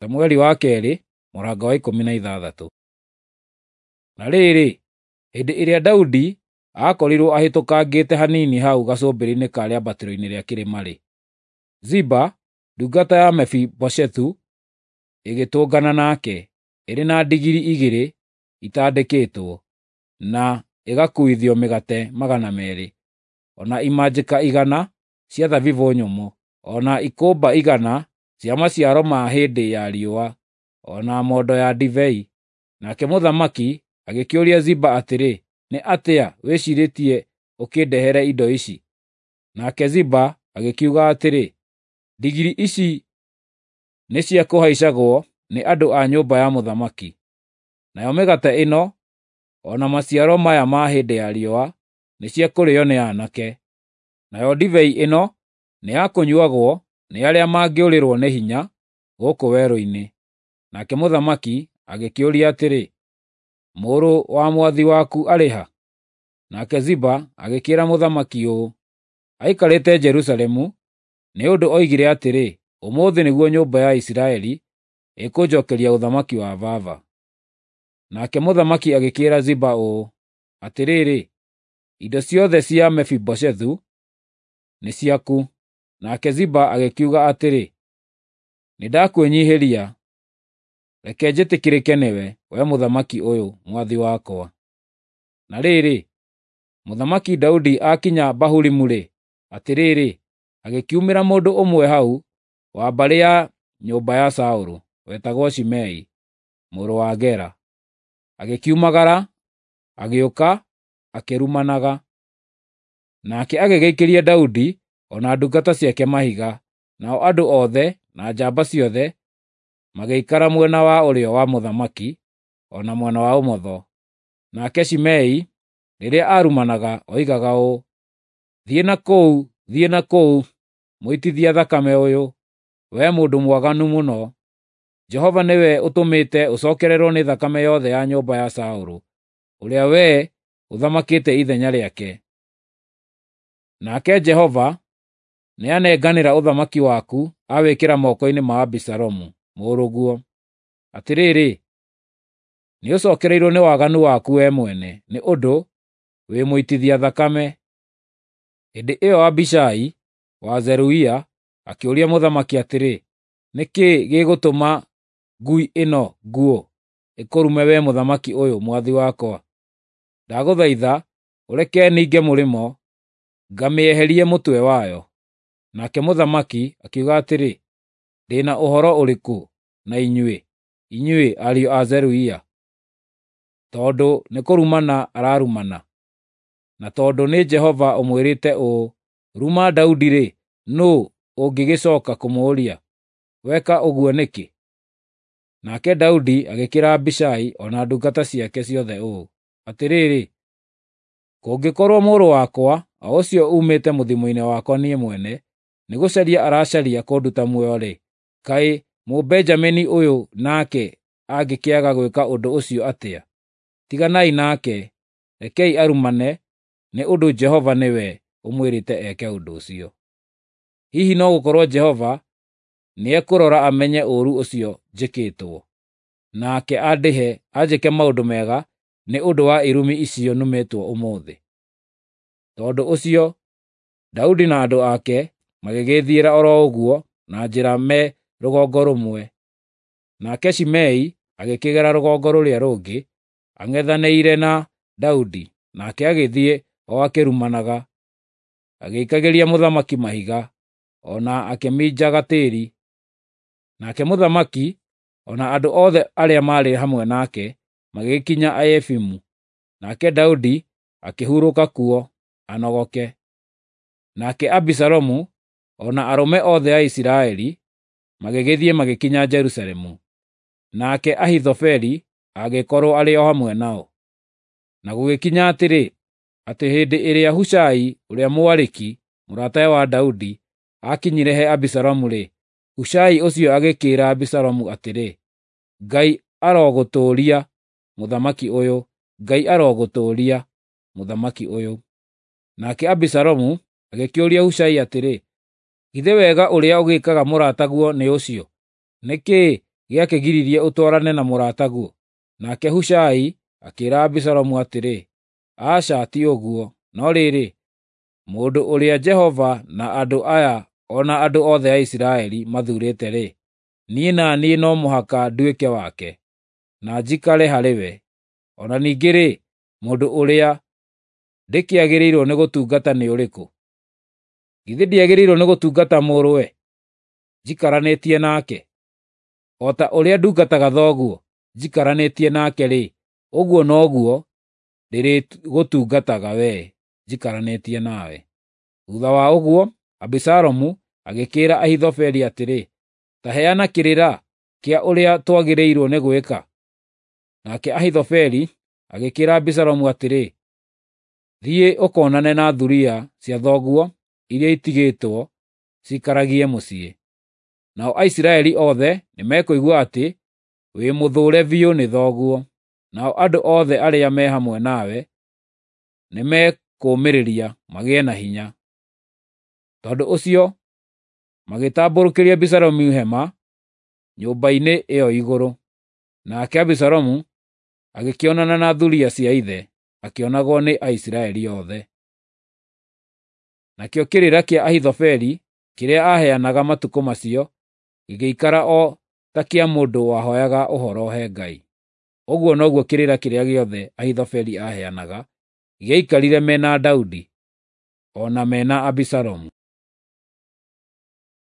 Samueli wa kerĩ mũrango wa 16. Na rĩrĩ, hĩndĩ ĩrĩa Daudi aakorirwo ahĩtũkangĩte hanini hau gacũmbĩrĩ-inĩ ka rĩambatĩro-inĩ rĩa kĩrĩma-rĩ, Ziba ndungata ya Mefiboshethu ĩgĩtũngana nake, ĩrĩ na ndigiri 2 itandĩkĩtwo, na ĩgakuuithio mĩgate 200, o na imanjĩka 100 cia thabibũ nyũmũ, o na ikũmba 100 cia maciaro ma hĩndĩ ya riũa, o na mondo ya ndibei. Nake mũthamaki agĩkĩũria Ziba atĩrĩ, “Nĩ atĩa wĩciirĩtie ũkĩndehere indo ici?” Nake Ziba agĩkiuga atĩrĩ, “Ndigiri ici nĩ cia kũhaicagwo nĩ andũ a nyũmba ya mũthamaki, nayo mĩgate ĩno o na maciaro maya ma hĩndĩ ya riũa nĩ cia kũrĩĩo nĩ aanake, nayo ndibei ĩno nĩ ya kũnyuuagwo nĩ arĩa mangĩũrĩrwo nĩ hinya gũkũ werũ-inĩ.” Nake mũthamaki agĩkĩũria atĩrĩ, “Mũrũ wa mwathi waku arĩ ha?” Nake Ziba agĩkĩĩra mũthamaki ũũ, “Aikarĩte Jerusalemu, nĩ ũndũ oigire atĩrĩ, ‘Ũmũthĩ nĩguo nyũmba ya Isiraeli ĩkũnjookeria ũthamaki wa baba.’ ” Nake mũthamaki agĩkĩĩra Ziba ũũ, “Atĩrĩrĩ, indo ciothe cia Mefiboshethu nĩ ciaku.” Nake Ziba agĩkiuga atĩrĩ, “Nĩndakwĩnyiihĩria, reke njĩtĩkĩrĩke nĩwe, wee mũthamaki ũyũ, mwathi wakwa.” Na rĩrĩ, Mũthamaki Daudi aakinya Bahurimu-rĩ, atĩrĩrĩ, agĩkiumĩra mũndũ ũmwe hau wa mbarĩ ya nyũmba ya Saũlũ, wetagwo Shimei mũrũ wa Gera. Agĩkiumagara, agĩũka akĩrumanaga. Nake agĩgĩikĩria Daudi o na ndungata ciake mahiga, nao andũ othe na njamba ciothe magĩikara mwena wa ũrĩo wa mũthamaki o na mwena wa ũmotho. Nake Shimei rĩrĩa aarumanaga oigaga ũũ, “Thiĩ na kũu, thiĩ na kũu, mũitithia thakame ũyũ, wee mũndũ mwaganu mũno! Jehova nĩwe ũtũmĩte ũcookererwo nĩ thakame yothe ya nyũmba ya Saũlũ, ũrĩa wee ũthamakĩte ithenya rĩake. Nake Jehova nĩanenganĩra ũthamaki waku awĩkĩra moko-inĩ ma Abisalomu mũrũguo. Atĩrĩrĩ, nĩũcookereirwo nĩ waganu waku wee mwene, nĩ ũndũ wĩ mũitithia thakame.” Hĩndĩ ĩyo Abishai wa Zeruia akĩũria mũthamaki atĩrĩ, “Nĩ kĩĩ gĩgũtũma ngui ĩno nguũ ĩkũrume wee mũthamaki ũyũ, mwathi wakwa? Ndagũthaitha ũreke ninge mũrĩmo, ngamĩeherie mũtwe wayo.” Nake mũthamaki akiuga atĩrĩ, “Ndĩ na ũhoro ũrĩkũ na inyuĩ, inyuĩ ariũ a Zeruia? Tondũ nĩkũrumana ararumana, na tondũ nĩ Jehova ũmwĩrĩte ũũ, ‘Ruma Daudi-rĩ, nũũ ũngĩgĩcooka kũmũũria, “Weka ũguo nĩkĩ?” ’ Nake Daudi agĩkĩĩra Abishai o na ndungata ciake ciothe ũũ, “Atĩrĩrĩ, kũngĩkorwo mũrũ wakwa, o ũcio uumĩte mũthimo-inĩ wakwa niĩ mwene, nĩgũcaria aracaria kũnduta muoyo-rĩ, kaĩ Mũbenjamini ũyũ nake angĩkĩaga gwĩka ũndũ ũcio atĩa? Tiganai nake, rekei arumane, nĩ ũndũ Jehova nĩwe ũmwĩrĩte eke ũndũ ũcio. Hihi no gũkorwo Jehova nĩekũrora amenye ũũru ũcio njĩkĩtwo, nake andĩhe anjĩke maũndũ mega nĩ ũndũ wa irumi icio numĩtwo ũmũthĩ.” Tondũ ũcio Daudi na andũ ake magĩgĩthiĩra o ro ũguo na njĩra me rũgongo rũmwe, nake Shimei agĩkĩgera rũgongo rũrĩa rũngĩ ang'ethanĩire na Daudi, nake agĩthiĩ o akĩrumanaga, agĩikagĩria mũthamaki mahiga, o na akĩminjaga tĩĩri. Nake mũthamaki o na andũ othe arĩa maarĩ hamwe nake magĩgĩkinya Aefimu, nake Daudi akĩhurũka kuo anogoke. Nake Abisalomu o na arũme othe a Isiraeli magĩgĩthiĩ magĩkinya Jerusalemu, nake Ahithofeli agĩkorwo arĩ o hamwe nao. Na gũgĩkinya atĩrĩ, atĩ hĩndĩ ĩrĩa Hushai ũrĩa Mũariki, mũratawe wa Daudi, aakinyire he Abisalomu-rĩ, Hushai ũcio agĩkĩĩra Abisalomu atĩrĩ, “Ngai arogũtũũria, mũthamaki ũyũ! Ngai arogũtũũria, mũthamaki ũyũ!” Nake Abisalomu agĩkĩũria Hushai atĩrĩ, “Githĩ wega ũrĩa ũgĩkaga mũrataguo nĩ ũcio? Nĩ kĩĩ gĩakĩgiririe ũtwarane na mũrataguo?" Nake Hushai akĩĩra Abisalomu atĩrĩ, "Aca, ti ũguo, no rĩrĩ, mũndũ ũrĩa Jehova na andũ aya o na andũ othe a Isiraeli mathuurĩte-rĩ, niĩ na niĩ no mũhaka nduĩke wake, na njikare harĩ we. O na ningĩ-rĩ, mũndũ ũrĩa ndĩkĩagĩrĩirwo nĩ gũtungata nĩ ũrĩkũ? Githĩ ndiagĩrĩirwo nĩ gũtungata mũrũwe, njikaranĩtie nake? O ta ũrĩa ndungataga thoguo, njikaranĩtie nake-rĩ, ũguo noguo ndĩrĩgũtungataga wee, njikaranĩtie nawe." Thuutha wa ũguo, Abisalomu agĩkĩĩra Ahithofeli atĩrĩ, "Ta heana kĩrĩra kĩa ũrĩa twagĩrĩirwo nĩ gwĩka." Nake Ahithofeli agĩkĩĩra Abisalomu atĩrĩ, "Thiĩ ũkoonane na thuriya cia thoguo iria itigĩtwo ciikaragie mũciĩ. Nao Aisiraeli othe nĩmekũigua atĩ wĩ mũthũũre biũ nĩ thoguo, nao andũ othe arĩa me hamwe nawe nĩmekũũmĩrĩria magĩe na hinya." Tondũ ũcio magĩtambũrũkĩria Abisalomu hema nyũmba-inĩ ĩyo igũrũ. Nake Abisalomu agĩkĩonana na thuriya cia ithe, akĩonagwo nĩ Aisiraeli othe. Nakĩo kĩrĩra kĩa Ahithofeli kĩrĩa aaheanaga matukũ macio gĩgĩikara o ta kĩa mũndũ wahooyaga ũhoro he Ngai. Ũguo noguo kĩrĩra kĩrĩa gĩothe Ahithofeli aaheanaga gĩaikarire me na Daudi, o na me na Abisalomu.